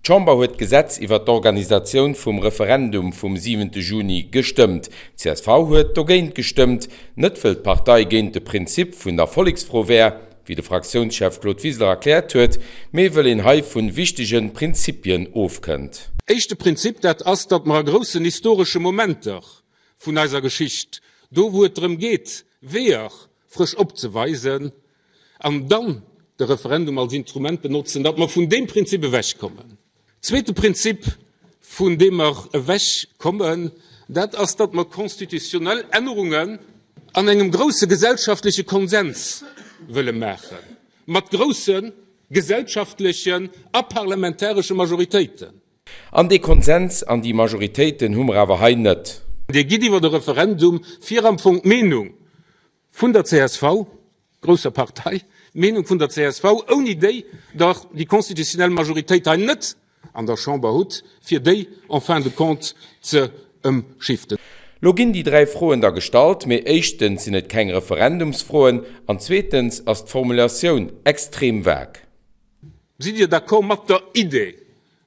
D'Chamber huet d'Gesetz iwwer d'Organisatioun vum Referendum vum siwente Juni gestëmmt. D'CSV huet dogéint gestëmmt, net wëll d'Partei géint de Prinzip vun der Volleksfro wär, wéi de Fraktiounschef Claude Wiseler erkläert huet, mee wëll een hei vun wichtege Prinzipien ofkënnt. Éischte Prinzip, dat ass, datt mer a groussen historesche Momenter vun eiser Geschicht, do wou et drëm geet, Weeër frësch opzeweisen, an dann de Referendum als Instrument benotzen, datt mer vun deem Prinzip ewechkommen. Zweete Prinzip, vun deem mer ewechkommen, dat ass, datt mer constitutionnel Ännerungen an engem grouse gesellschaftleche Konsens wëlle maachen, mat grouse gesellschaftlechen a parlamentaresche Majoritéiten. An dee Konsens an déi Majoritéiten hu mer awer hei net. Dir gitt iwwer e Referendum fir am Fong d'Meenung vun der csv, grousser Partei, d'Meenung vun der csv, ouni déi Der déi constitutionnel Majoritéit hei net an der Chamber hutt, fir déi en fin de compte ze ëmschiften. Lo ginn déi 3 Froen da gestallt, mee éischtens sinn et keng Referendumsfroen an zweetens ass d'Formulatioun extrem vague. Sidd Dir d'accord mat der Idee,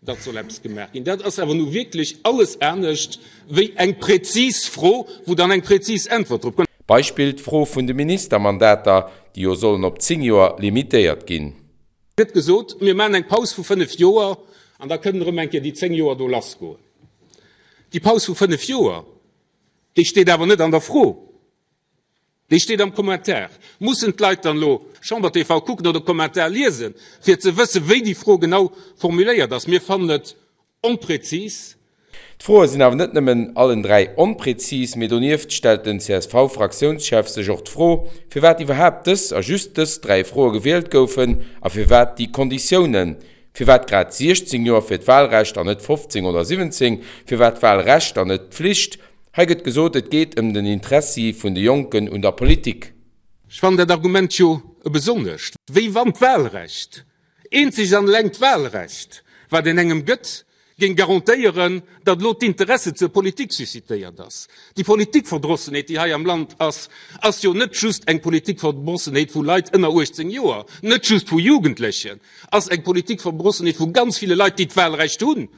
datt soll eppes gemaach ginn? Dat ass awer nu wierklech alles anescht wéi eng präzis Fro, wou dann eng präzis Äntwert drop kënnt. Beispill d'Fro vun de Ministermandater, déi jo sollen op 10 Joer limitéiert ginn. Gëtt gesot, mir maachen eng Paus vu 5 Joer an da kënnen erëm eng Kéier déi 10 Joer do lassgoen. Déi Paus vu 5 Joer, déi steet awer net an der Fro. Déi steet am Commentaire. Mussen d'Leit dann elo Chamber TV kucken oder Commentaire liesen, fir ze wëssen, wéi déi Fro genau formuléiert ass? Mir fannen et onpräzis. D'Froe sinn awer net nëmmen allen 3 onpräzis, mee donieft stellt den CSV-Fraktiounschef sech och d'Fro, firwat iwwerhaapt dës a just dës 3 Froe gewielt goufen a firwat déi Konditiounen. Firwat grad 16 Joer fir d'Wahlrecht an net 15 oder 17? Firwat d'Wahlrecht an net d'Pflicht? Hei gëtt gesot, et geet ëm den Interessi vun de Jonken un der Politik. Ech fannen dat Argument jo e besonnescht, wéi wann d'Wahlrecht, eenzeg an eleng d'Wahlrecht, wat een engem gëtt, géing garantéieren, datt elo d'Interesse zur Politik suscitéiert ass. Déi Politikverdrossenheet, déi hei am Land ass, ass jo net just eng Politikverdrossenheet vu Leit ënner 18 Joer, net just vu Jugendlechen, ass eng Politikverdrossenheet vu ganz ville Leit, déi d'Wahlrecht hunn.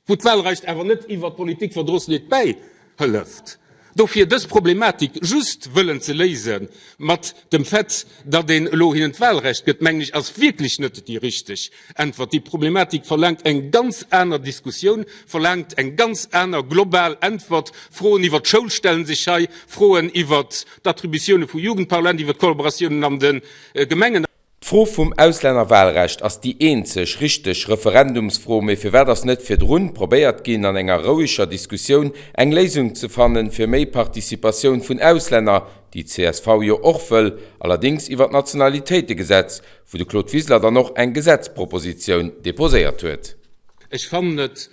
wou d'Wahlrecht awer net iwwert d'Politikverdrossenheet bäihëlleft. Dofir dës Problematik just wëllen ze léise mat dem Fait, datt een elo hinnen d'Wahlrecht gëtt, mengen ech, ass wierklech net déi richteg Äntwert. Déi Problematik verlaangt eng ganz aner Diskussioun, verlaangt eng ganz aner global Äntwert. Froen iwwert d'Schoul stelle sech hei, Froen iwwert d'Attributioune vu Jugendparlament, iwwert d'Kollaboratiounen an de Gemengen. D'Fro vum Auslännerwahlrecht ass déi eenzeg richteg Referendumsfro, mee firwat ass net virdrun probéiert ginn an enger roueger Diskussioun eng Léisung ze fannen fir méi Participatioun vun Auslänner, déi csv jo och wëll, allerdings iwwer d'Nationalitéitegesetz, wou de Claude Wiseler dann och eng Gesetzpropositioun deposéiert huet. Ech fannen et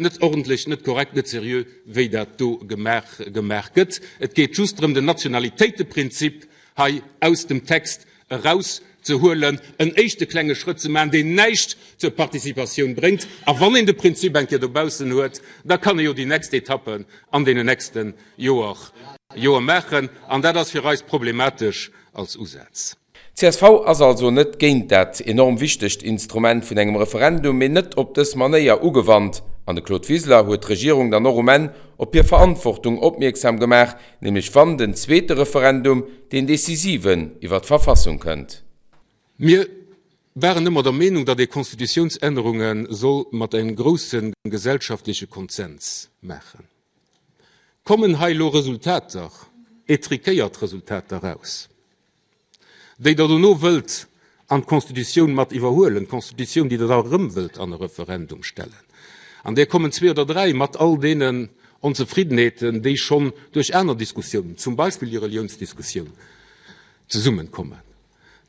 Net ordentlech, net korrekt, net seriö, wéi dat do gemaach gemaach gëtt. Et geet just drëm, den Nationalitéiteprinzip hei aus dem Text erauszehuelen, en éischte klenge Schrëtt ze maachen, deen näischt zur Participatioun bréngt. A wann een de Prinzip eng Kéier dobaussen huet, da kann ee jo déi nächst Etappen an deenen nächste Joer Joer maachen. An dat ass fir eis problematesch als Usaz. Csv ass also net géint dat enorm wichtegt Instrument vun engem Referendum, mee net op dës Manéier ugewannt. An de Claude Wiseler huet d'Regierung dann och um Enn op hir Verantwortung opmierksam gemaach, nämlech wann den zweete Referendum, deen decisiven, iwwer d'Verfassung kënnt. Mir waren ëmmer der Meenung, datt ee Constitutiounsännerunge soll mat engem grousse gesellschaftleche Konsens maachen. Kommen hei elo Resultater, étriquéiert Resultater eraus? déi Der dono wëllt an d'Constitutioun mat iwwerhuelen, d'Constitutioun, déi Der da erëm wëllt an e Referendum stellen, an där kommen zwee oder dräi mat all deenen Onzefriddenheeten, déi schonn duerch aner Diskussiounen, zum Beispill déi Reliounsdiskussioun, zesummenkommen,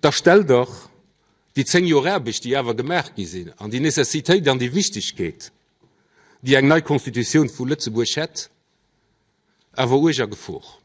da stellt Der déi zéng Joer Aarbecht, déi awer gemaach gi sinn, an déi Nécessitéit an déi Wichtigkeet, déi eng nei Constitutioun vu Lëtzebuerg hätt, awer uerg a Gefor.